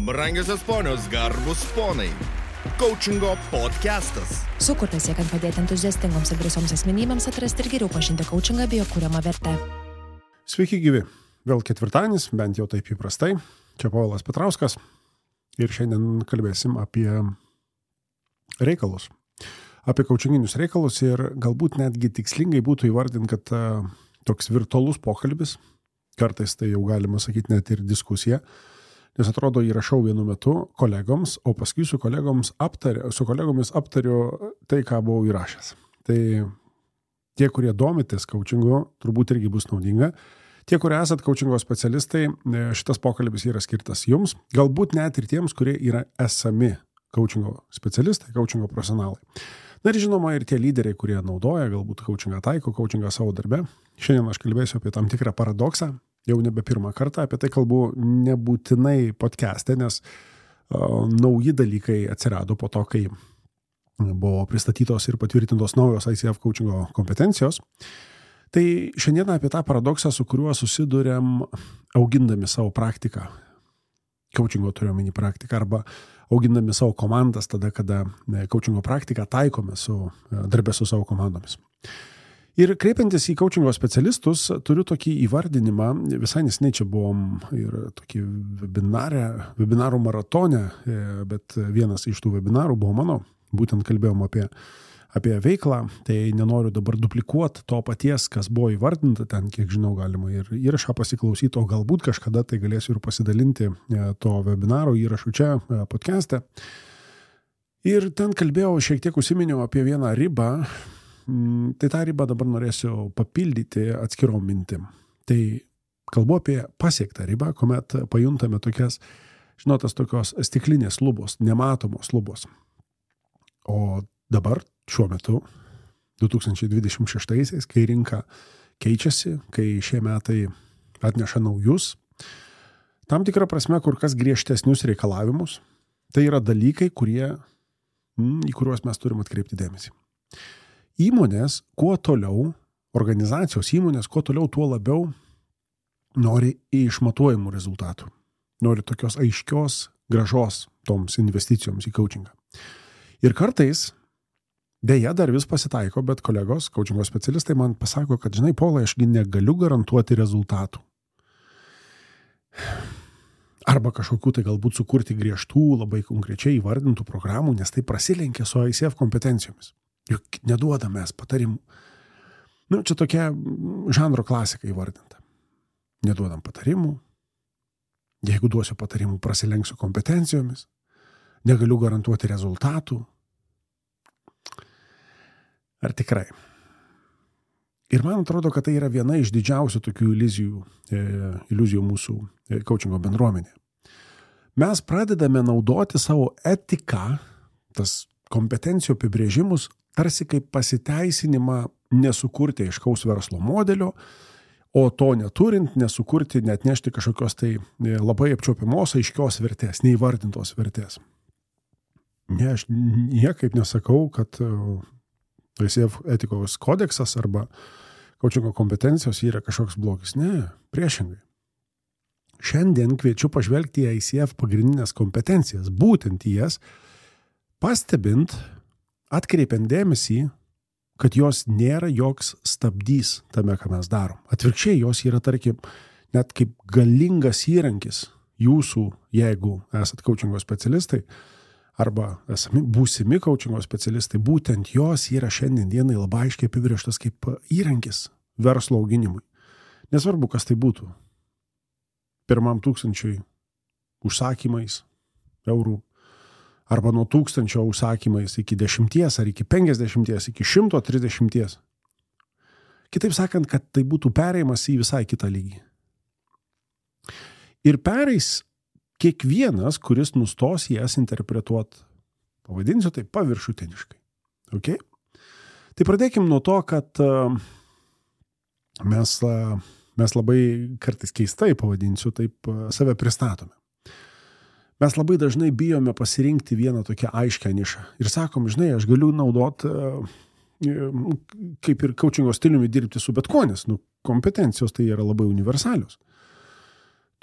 Brangiosios ponios, garbus ponai. Coachingo podcastas. Sukurtas siekiant padėti entuziastingoms ir drąsioms asmenybėms atrasti ir geriau pažinti coachingą bei jo kuriamą vertę. Sveiki gyvi. Vėl ketvirtadienis, bent jau taip įprastai. Čia Povilas Petrauskas. Ir šiandien kalbėsim apie reikalus. Apie coachinginius reikalus ir galbūt netgi tikslingai būtų įvardinti, kad toks virtualus pokalbis, kartais tai jau galima sakyti net ir diskusija, nes atrodo įrašau vienu metu kolegoms, o paskui su kolegomis aptariu tai, ką buvau įrašęs. Tai tie, kurie domitės coachingu, turbūt irgi bus naudinga. Tie, kurie esat coachingo specialistai, šitas pokalbis yra skirtas jums, galbūt net ir tiems, kurie yra esami coachingo specialistai, coachingo profesionalai. Na ir žinoma, ir tie lyderiai, kurie naudoja, galbūt coachingą taiko, coachingą savo darbe. Šiandien aš kalbėsiu apie tam tikrą paradoksą, jau nebe pirmą kartą, apie tai kalbu nebūtinai podcast'e, nes nauji dalykai atsirado po to, kai buvo pristatytos ir patvirtintos naujos ICF coachingo kompetencijos. Tai šiandien apie tą paradoksą, su kuriuo susiduriam augindami savo praktiką. Coachingo turiu omeny praktiką arba augindami savo komandas tada, kada coachingo praktiką taikome darbę su savo komandomis. Ir kreipiantis į coachingo specialistus, turiu tokį įvardinimą, visai neseniai čia buvom ir tokį webinarų maratone, bet vienas iš tų webinarų buvo mano, būtent kalbėjom apie veiklą, tai nenoriu dabar duplikuoti to paties, kas buvo įvardinta, ten kiek žinau galima ir įrašą pasiklausyti, o galbūt kažkada tai galėsiu ir pasidalinti to webinaro įrašų čia podcast'e. Ir ten kalbėjau, šiek tiek užsiminiau apie vieną ribą, tai tą ribą dabar norėsiu papildyti atskirom mintim. Tai kalbu apie pasiektą ribą, kuomet pajuntame tokios stiklinės lubos, nematomos lubos. O dabar, šiuo metu, 2026-aisiais, kai rinka keičiasi, kai šie metai atneša naujus, tam tikrą prasme kur kas griežtesnius reikalavimus, tai yra dalykai, į kuriuos mes turim atkreipti dėmesį. Įmonės, kuo toliau, organizacijos įmonės, kuo toliau, tuo labiau nori išmatuojamų rezultatų. Nori tokios aiškios grąžos toms investicijoms į coachingą. Ir kartais, deja, dar vis pasitaiko, bet kolegos, coachingo specialistai man pasako, kad, žinai, Paulai, ašgi negaliu garantuoti rezultatų. Arba kažkokių tai galbūt sukurti griežtų, labai konkrečiai įvardintų programų, nes tai prasilenkia su ICF kompetencijomis. Juk neduodame mes patarimų. Čia tokia žanro klasika įvardinta. Neduodam patarimų. Jeigu duosiu patarimų, prasilenksiu kompetencijomis. Negaliu garantuoti rezultatų. Ar tikrai? Ir man atrodo, kad tai yra viena iš didžiausių tokių iliuzijų mūsų coachingo bendruomenė. Mes pradedame naudoti savo etiką, tas kompetencijų apibrėžimus, tarsi kaip pasiteisinimą nesukurti aiškaus verslo modelio, o to neturint, nesukurti, net nešti kažkokios tai labai apčiuopiamos aiškios vertės, neįvardintos vertės. Ne, aš niekaip nesakau, kad ICF etikos kodeksas arba coachingo kompetencijos yra kažkoks blogis. Ne, priešingai. Šiandien kviečiu pažvelgti į ICF pagrindinės kompetencijas, būtent į jas, pastebint, atkreipiant dėmesį, kad jos nėra joks stabdys tame, ką mes darom. Atvirkščiai, jos yra, tarkim, net kaip galingas įrankis jūsų, jeigu esat coachingo specialistai, arba būsimi coachingo specialistai, būtent jos yra šiandien dienai labai aiškiai apibrėžtas kaip įrankis verslo auginimui. Nesvarbu, kas tai būtų. 1,000 užsakymais eurų, arba nuo 1000 užsakymais iki 10 ar iki 50, iki 130. Kitaip sakant, kad tai būtų perėjimas į visai kitą lygį. Ir pereis kiekvienas, kuris nustos jas interpretuoti, pavadinsiu tai paviršutiniškai. Okay? Tai pradėkim nuo to, kad mes labai kartais keistai, pavadinsiu, taip save pristatome. Mes labai dažnai bijome pasirinkti vieną tokią aiškę nišą. Ir sakom, žinai, aš galiu naudoti, kaip ir coachingo stiliumi dirbti su bet kuo, nes kompetencijos tai yra labai universalios.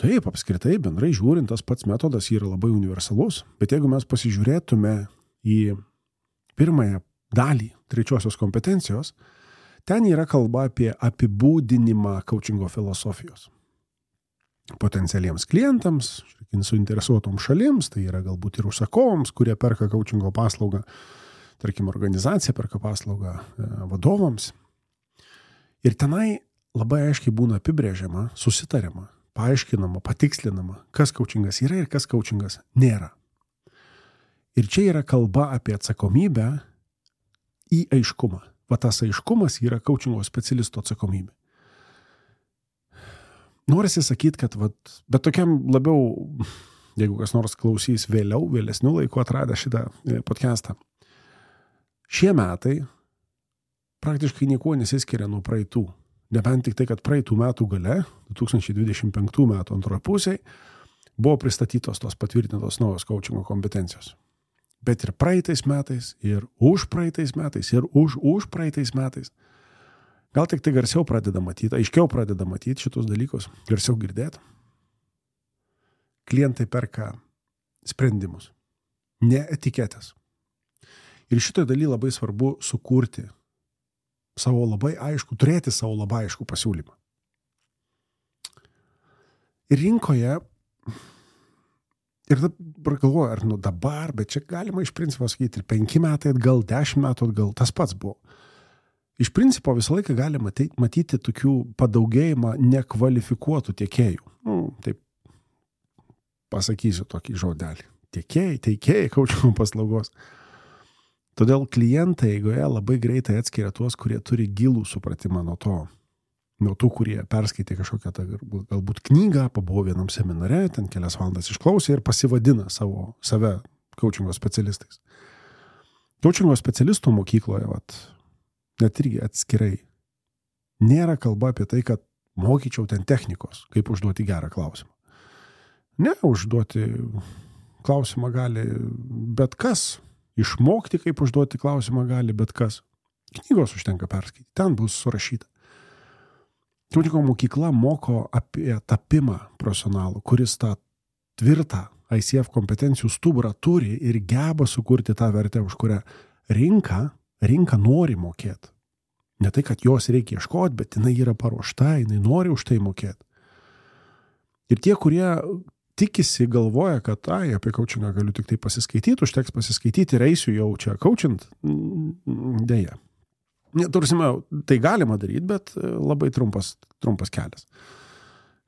Taip, apskritai, bendrai žiūrint, tas pats metodas yra labai universalus, bet jeigu mes pasižiūrėtume į pirmąją dalį trečiosios kompetencijos, ten yra kalba apie apibūdinimą coachingo filosofijos. Potencialiems klientams, suinteresuotoms šalims, tai yra galbūt ir užsakovams, kurie perka coachingo paslaugą, tarkim, organizacija perka paslaugą vadovams. Ir tenai labai aiškiai būna apibrėžiama, susitariama, paaiškinama, patikslinama, kas coachingas yra ir kas coachingas nėra. Ir čia yra kalba apie atsakomybę į aiškumą. Va tas aiškumas yra coachingo specialisto atsakomybė. Norisi sakyti, kad bet tokiam labiau, jeigu kas nors klausys vėlesnių laikų atradę šitą podcastą, šie metai praktiškai niekuo nesiskiria nuo praeitų. Nebent tik tai, kad praeitų metų gale, 2025 metų antroje pusėje, buvo pristatytos tos patvirtintos naujos coachingo kompetencijos. Bet ir praeitais metais, ir už praeitais metais, ir už praeitais metais. Gal tik tai garsiau pradeda matyti, aiškiau pradeda matyti šitus dalykus, garsiau girdėti. Klientai perka sprendimus, ne etiketės. Ir šitoje daly labai svarbu sukurti turėti savo labai aišku pasiūlymą. Ir rinkoje, ir dabar galvoju, ar dabar, bet čia galima iš principo sakyti ir 5 metai atgal, 10 metų atgal, tas pats buvo. Iš principo visą laiką galima matyti tokių padaugėjimą nekvalifikuotų tiekėjų. Taip pasakysiu tokį žodelį. Teikėjai coachingo paslaugos. Todėl klientai eigoje labai greitai atskiria tuos, kurie turi gilų supratimą nuo tų, kurie perskaitė kažkokią galbūt knygą, pabuvo vienam seminare, ten kelias valandas išklausė ir pasivadina save coachingo specialistais. Coachingo specialistų mokykloje, net irgi atskirai, nėra kalba apie tai, kad mokyčiau ten technikos, kaip užduoti gerą klausimą. Ne, užduoti klausimą gali bet kas. Išmokti, kaip užduoti klausimą gali bet kas. Knygos užtenka perskaityti, ten bus surašyta. Coachingo mokykla moko apie tapimą profesionalų, kuris tą tvirtą ICF kompetencijų stuburą turi ir geba sukurti tą vertę, už kurią rinka nori mokėti. Ne tai, kad jos reikia ieškoti, bet jinai yra paruošta, jinai nori už tai mokėti. Ir tie, kurie tikisi, galvoja, kad apie coachingą galiu tik tai pasiskaityti, užteks pasiskaityti ir eisiu jau čia coachint, dėja. Tursime, tai galima daryti, bet labai trumpas kelias.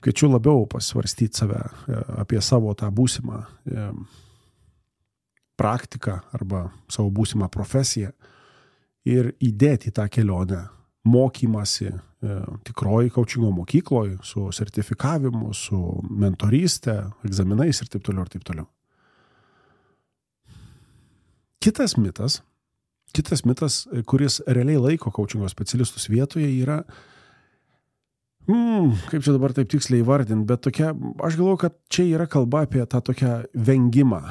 Kviečiu labiau pasvarstyti save apie savo tą būsimą praktiką arba savo būsimą profesiją ir įdėti tą kelionę mokymasi tikroji coachingo mokykloje su sertifikavimu, su mentorystė, egzaminais ir taip toliau ir taip toliau. Kitas mitas, kuris realiai laiko coachingo specialistus vietoje yra, kaip čia dabar taip tiksliai įvardinti, bet tokia, aš galvoju, kad čia yra kalba apie tą tokią vengimą,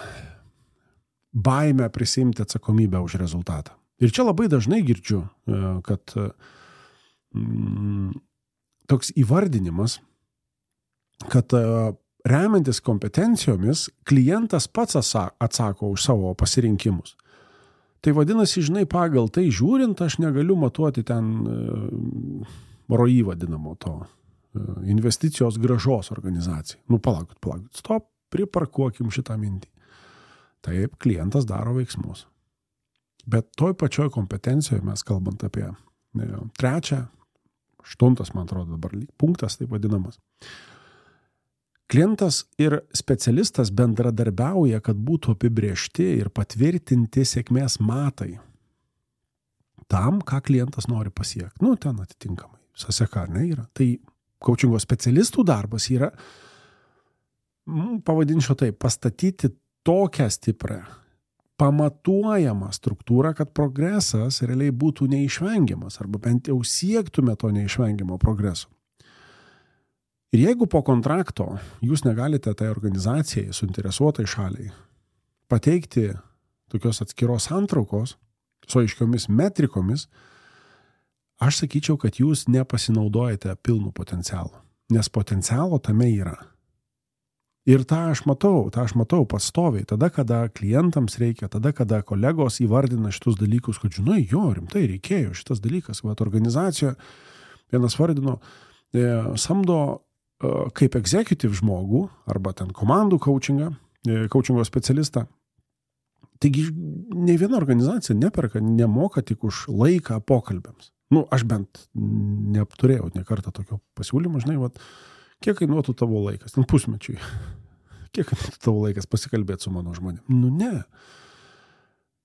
baimę prisimti atsakomybę už rezultatą. Ir čia labai dažnai girdžiu, kad toks įvardinimas, kad remiantis kompetencijomis klientas pats atsako už savo pasirinkimus. Tai vadinasi, žinai, pagal tai žiūrint, aš negaliu matuoti ten ROI vadinamo to investicijos grąžos organizacijai. Palaukit, stop, priparkuokim šitą mintį. Taip, klientas daro veiksmus. Bet toj pačioj kompetencijoje mes kalbant apie 3, 8, man atrodo dabar punktas, taip vadinamas. Klientas ir specialistas bendradarbiauja, kad būtų apibrėžti ir patvirtinti sėkmės matai tam, ką klientas nori pasiekti. Ten atitinkamai. Saseka, ne, yra. Tai coachingo specialistų darbas yra, pavadinčiau taip, pastatyti tokią stiprią, pamatuojamą struktūrą, kad progresas realiai būtų neišvengiamas, arba bent jau siektume to neišvengiamo progreso. Ir jeigu po kontrakto jūs negalite tai organizacijai, suinteresuotai šaliai, pateikti tokios atskiros santraukos su aiškiomis metrikomis, aš sakyčiau, kad jūs nepasinaudojate pilnu potencialu. Nes potencialo tame yra. Ir tą aš matau pastoviai, tada, kada klientams reikia, tada, kada kolegos įvardina šitus dalykus, kad žinai, jo, rimtai reikėjo šitas dalykas, vat organizacija, vienas vardino, samdo kaip executive žmogų, arba ten komandų coachingo specialistą. Taigi, nei viena organizacija nemoka tik už laiką pokalbėms. Aš bent neturėjau ne kartą tokio pasiūlymo, žinai, vat, kiek kainuotų tavo laikas? Ten pusmečiui. Kiek kainuotų tavo laikas pasikalbėti su mano žmonėm? Ne.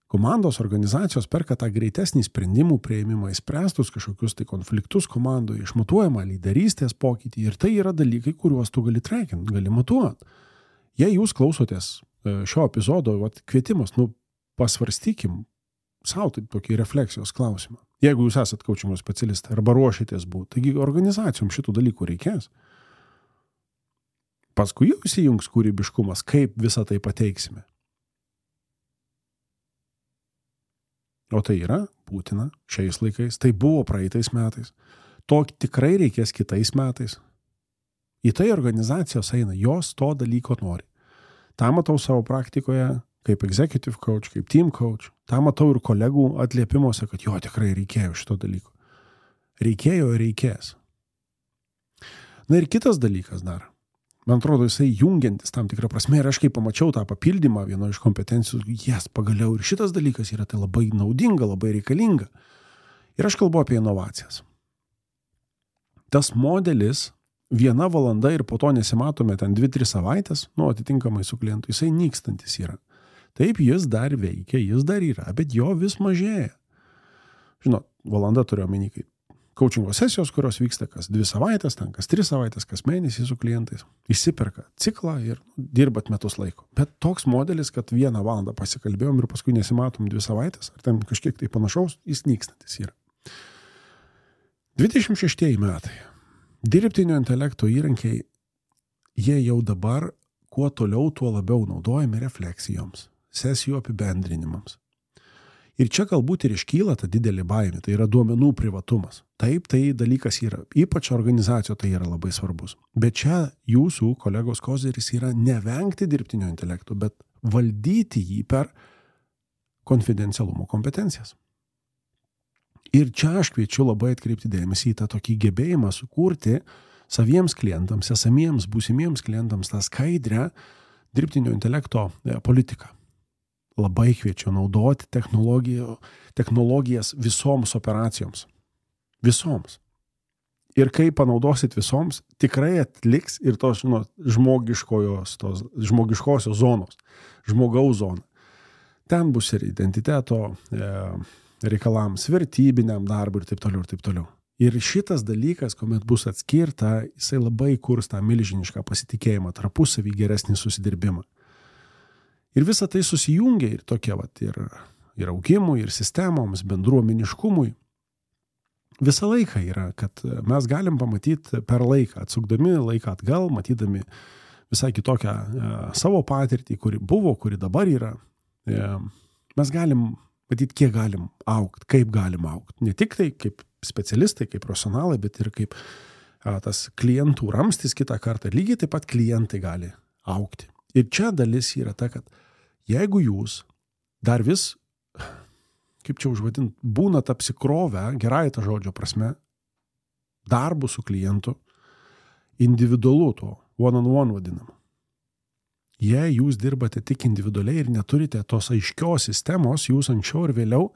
Komandos organizacijos perka tą greitesnį sprendimų priėmimą, įspręstus kažkokius tai konfliktus komandoje, išmatuojamą lyderystės pokytį. Ir tai yra dalykai, kuriuos tu gali trackinti, gali matuoti. Jei jūs klausotės šio epizodo, kvietimas, pasvarstykim savo taip tokį refleksijos klausimą. Jeigu jūs esat coachingo specialistai arba ruošitės būti, taigi organizacijom šitų dalykų reikės. Paskui jau įsijungs kūrybiškumas, kaip visą tai pateiksime. O tai yra būtina šiais laikais, tai buvo praeitais metais. To tikrai reikės kitais metais. Į tai organizacijos eina, jos to dalyko nori. tą matau savo praktikoje kaip executive coach, kaip team coach. Tą matau ir kolegų atliepimuose, kad jo tikrai reikėjo šito dalyko. Reikėjo ir reikės. Na ir kitas dalykas dar. Man atrodo, jisai jungiantis tam tikrą prasme. Ir aš kai pamačiau tą papildymą vieno iš kompetencijų, pagaliau ir šitas dalykas yra tai labai naudinga, labai reikalinga. Ir aš kalbu apie inovacijas. Tas modelis 1 valanda ir po to nesimatome ten 2-3 savaitės, atitinkamai su klientu, jisai nykstantis yra. Taip, jis dar veikia, jis dar yra, bet jo vis mažėja. Žinot, valanda turiu omeny kaip coachingo sesijos, kurios vyksta kas 2 savaitės, ten kas 3 savaitės, kas mėnesį su klientais. Įsiperka ciklą ir dirbat metus laiko. Bet toks modelis, kad 1 valandą pasikalbėjom ir paskui nesimatom 2 savaitės, ar ten kažkiek tai panašaus, jis nykstantis yra. 26 metai. Dirbtinio intelekto įrankiai, jie jau dabar kuo toliau, tuo labiau naudojami refleksijoms, sesijų apibendrinimams. Ir čia galbūt ir iškyla ta didelė baimė, tai yra duomenų privatumas. Taip, tai dalykas yra, ypač organizacijoje tai yra labai svarbus. Bet čia jūsų kolegos koziris yra nevengti dirbtinio intelekto, bet valdyti jį per konfidencialumo kompetencijas. Ir čia aš kviečiu labai atkreipti dėmesį į tą tokį gebėjimą sukurti saviems klientams, esamiems, būsimiems klientams tą skaidrę dirbtinio intelekto politiką. Labai kviečiu naudoti technologijas visoms operacijoms. Visoms. Ir kai panaudosit visoms, tikrai atliks ir tos žmogiškosios zonos, žmogaus zona. Ten bus ir identiteto reikalams, vertybiniam darbui ir taip toliau ir taip toliau. Ir šitas dalykas, kuomet bus atskirta, jisai labai kurs tą milžinišką pasitikėjimą, tarpusavį geresnį susidirbimą. Ir visa tai susijungia ir tokie ir augimui, ir sistemoms, bendruomeniškumui. Visą laiką yra, kad mes galim pamatyti per laiką, atsukdami laiką atgal, matydami visai kitokią savo patirtį, kuri buvo, kuri dabar yra. Mes galim matyti, kiek galim augti, kaip galim augti. Ne tik tai kaip specialistai, kaip profesionalai, bet ir kaip tas klientų ramstis kitą kartą. Lygiai taip pat klientai gali augti. Ir čia dalis yra ta, kad jeigu jūs dar vis, kaip čia užvadint, būnat apsikrovę, gerai tą žodžio prasme, darbu su klientu, individualu to, one-on-one vadinam. Jei jūs dirbate tik individualiai ir neturite tos aiškios sistemos, jūs anksčiau ir vėliau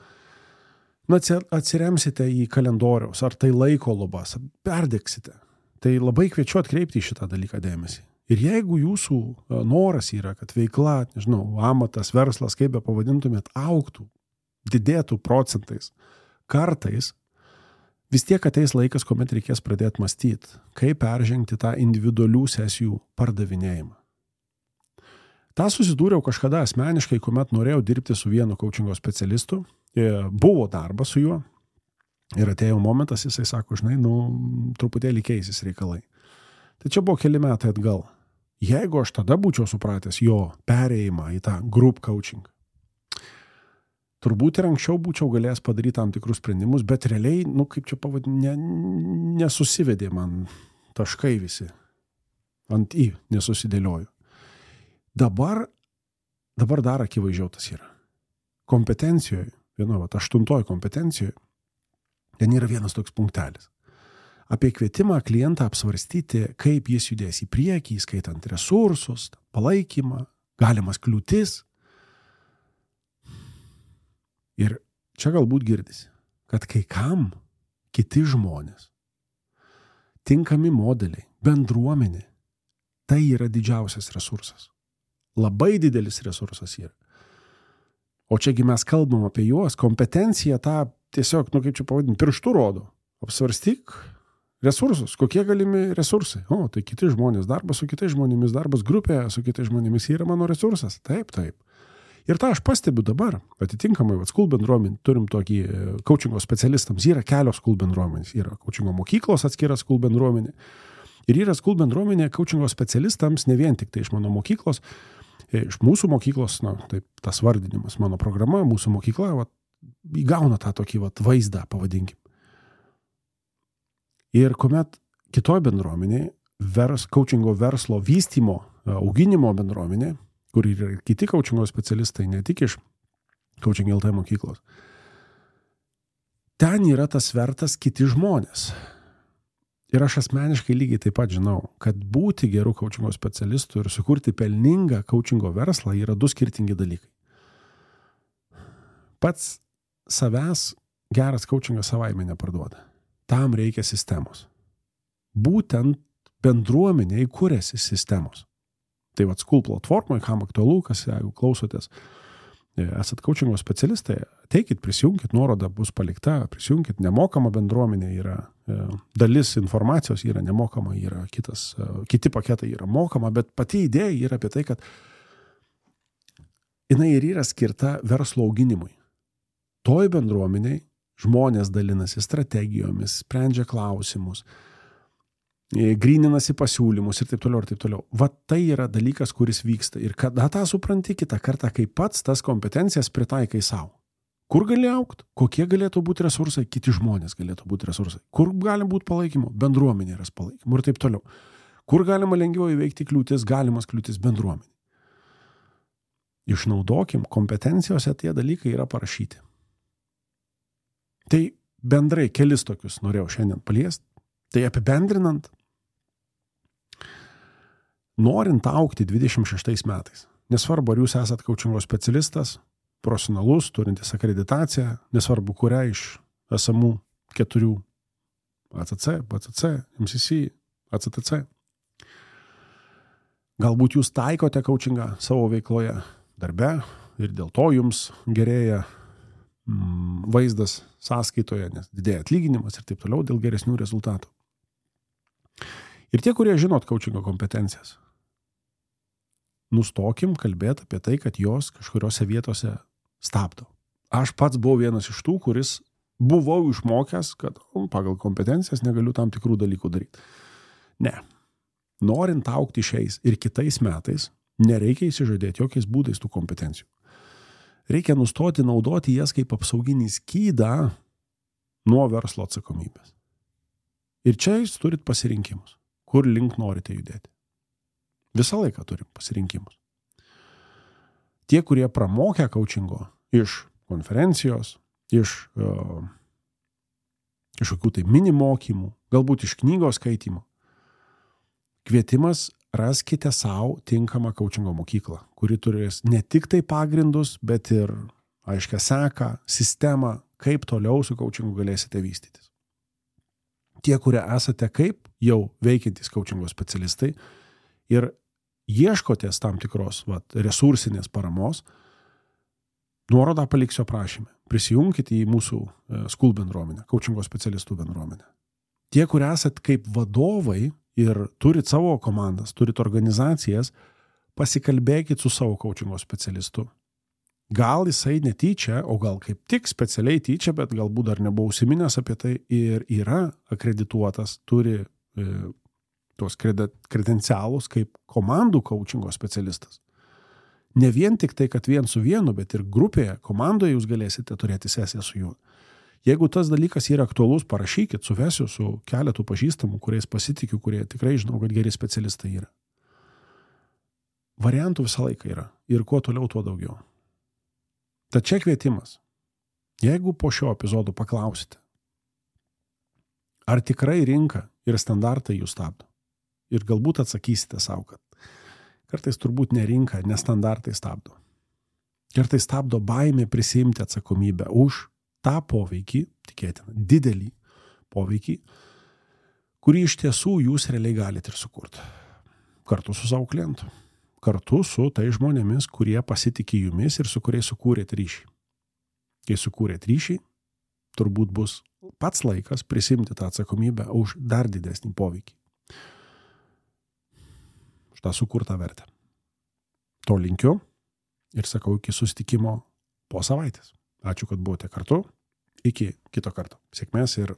atsiremsite į kalendoriaus, ar tai laiko lubas, perdegsite. Tai labai kviečiu atkreipti į šitą dalyką dėmesį. Ir jeigu jūsų noras yra, kad veikla, amatas, verslas, kaip be pavadintumėt, augtų, didėtų procentais, kartais, vis tiek ateis laikas, kuomet reikės pradėti mąstyti, kaip peržengti tą individualių sesijų pardavinėjimą. Ta susidūriau kažkada asmeniškai, kuomet norėjau dirbti su vienu coachingo specialistu, buvo darbas su juo ir atėjo momentas, jisai sako, truputėlį keisis reikalai. Tai čia buvo keli metai atgal. Jeigu aš tada būčiau supratęs jo perėjimą į tą group coaching, turbūt ir anksčiau būčiau galėjęs padaryti tam tikrus sprendimus, bet realiai, kaip čia pavadinti, nesusivedė man taškai visi. Ant į nesusidėlioju. Dabar dar akivaizdžiau tas yra. Kompetencijoje, 8 kompetencijoje, ten yra vienas toks punktelis. Apie kvietimą klientą apsvarstyti, kaip jis judės į priekį, skaitant resursus, palaikymą, galimas kliūtis. Ir čia galbūt girdisi, kad kai kam kiti žmonės, tinkami modeliai, bendruomenė, tai yra didžiausias resursas. Labai didelis resursas yra. O čiagi mes kalbam apie juos, kompetencija tą tiesiog, kaip čia pavadinti, pirštų rodo. Apsvarstyk resursus, kokie galimi resursai. O, tai kiti žmonės, darbas su kitais žmonėmis, darbas grupėje su kitais žmonėmis yra mano resursas. Taip. Ir tą aš pastebiu dabar, atitinkamai, school bendruomenė, turim tokį coachingo specialistams, yra kelios school bendruomenės, yra coachingo mokyklos atskira school bendruomenė. Ir yra school bendruomenė coachingo specialistams, ne vien tik tai iš mano mokyklos, iš mūsų mokyklos, taip, tas vardinimas, mano programa, mūsų mokykla, įgauna tą tokį vaizdą, pavadinkim. Ir kuomet kitoj bendruomenė, coachingo verslo vystymo, auginimo bendruomenė, kur yra kiti coachingo specialistai, ne tik iš Coaching LT mokyklos, ten yra tas svertas kiti žmonės. Ir aš asmeniškai lygiai taip pat žinau, kad būti gerų coachingo specialistų ir sukurti pelningą coachingo verslą yra 2 skirtingi dalykai. Pats savęs geras coachingas savaime neparduoda. Tam reikia sistemos. Būtent bendruomeniai kuriasi sistemos. Tai School platformoje, kam aktualu, kas jeigu klausotės, esat coachingo specialistai, ateikit, prisijungkit, nuoroda bus palikta, prisijungkit, nemokama bendruomenė yra, dalis informacijos yra nemokama, yra kiti paketai yra mokama, bet pati idėja yra apie tai, kad jinai ir yra skirta verslo auginimui. Toj bendruomeniai žmonės dalinasi strategijomis, sprendžia klausimus, gryninasi pasiūlymus ir taip toliau, ir taip toliau. Tai yra dalykas, kuris vyksta. Ir kada tą supranti kitą kartą, kai pats tas kompetencijas pritaikai savo. Kur gali augti? Kokie galėtų būti resursai? Kiti žmonės galėtų būti resursai. Kur gali būti palaikymo? Bendruomenė yra palaikymo ir taip toliau. Kur galima lengviau įveikti kliūtis? Galimas kliūtis bendruomenė. Išnaudokim, kompetencijose tie dalykai yra parašyti. Tai bendrai kelis tokius norėjau šiandien paliesti. Tai apibendrinant, norint augti 26 metais, nesvarbu, ar jūs esat coachingo specialistas, profesionalus, turintis akreditaciją, nesvarbu, kurią iš esamų 4 ACC, BCC, MCC, ACTC. Galbūt jūs taikote coachingą savo veikloje, darbe ir dėl to jums gerėja vaizdas sąskaitoje, nes didėja atlyginimas ir taip toliau dėl geresnių rezultatų. Ir tie, kurie žinot coachingo kompetencijas, nustokim kalbėti apie tai, kad jos kažkuriuose vietose stabdo. Aš pats buvau vienas iš tų, kuris buvau išmokęs, kad pagal kompetencijas negaliu tam tikrų dalykų daryti. Ne. Norint augti šiais ir kitais metais, nereikia įsižadėti jokiais būdais tų kompetencijų. Reikia nustoti naudoti jas kaip apsauginį skydą nuo verslo atsakomybės. Ir čia jūs turit pasirinkimus, kur link norite judėti. Visą laiką turim pasirinkimus. Tie, kurie pramokę coachingo iš konferencijos, iš kažkokių tai mini mokymų, galbūt iš knygos skaitymų, kvietimas raskite savo tinkamą coachingo mokyklą, kuri turės ne tik tai pagrindus, bet ir aiškią seką, sistemą, kaip toliau su coachingu galėsite vystytis. Tie, kurie esate kaip jau veikiantys coachingo specialistai ir ieškotės tam tikros resursinės paramos, nuorodą paliksiu aprašyme. Prisijungkite į mūsų school bendruomenę, coachingo specialistų bendruomenę. Tie, kurie esat kaip vadovai ir turit savo komandas, turit organizacijas, pasikalbėkit su savo coachingo specialistu. Gal jisai netyčia, o gal kaip tik specialiai tyčia, bet galbūt dar nebuvo užsiminęs apie tai ir yra akredituotas, turi tos kredencialus kaip komandų coachingo specialistas. Ne vien tik tai, kad vien su vienu, bet ir grupėje, komandoje jūs galėsite turėti sesiją su juo. Jeigu tas dalykas yra aktualus, parašykit, suvesiu su keletu pažįstamų, kuriais pasitikiu, kurie tikrai žinau, kad geri specialistai yra. variantų visą laiką yra. Ir kuo toliau, tuo daugiau. Tad čia kvietimas. Jeigu po šio epizodo paklausite, ar tikrai rinka ir standartai jūs stabdo, ir galbūt atsakysite savo, kad kartais turbūt ne rinka, ne standartai stabdo. Kartais stabdo baimė prisiimti atsakomybę už tą poveikį, tikėtina, didelį poveikį, kurį iš tiesų jūs realiai galite ir sukurti. Kartu su savo klientu. Kartu su tai žmonėmis, kurie pasitikė jumis ir su kuriais sukūrėt ryšį. Kai sukūrėt ryšį, turbūt bus pats laikas prisimti tą atsakomybę už dar didesnį poveikį. Už tą sukurtą vertę. To linkiu ir sakau iki susitikimo po savaitės. Ačiū, kad buvote kartu. Iki kito karto. Sėkmės ir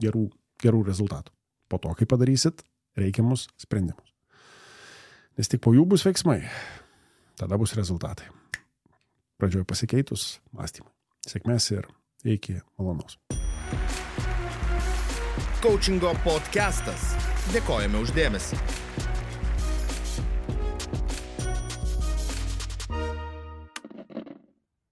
gerų rezultatų. Po to, kai padarysit reikiamus sprendimus. Nes tik po jų bus veiksmai. Tada bus rezultatai. Pradžioje pasikeitus mąstymai. Sėkmės ir iki malonaus. Coachingo podcastas. Dėkojame už dėmesį.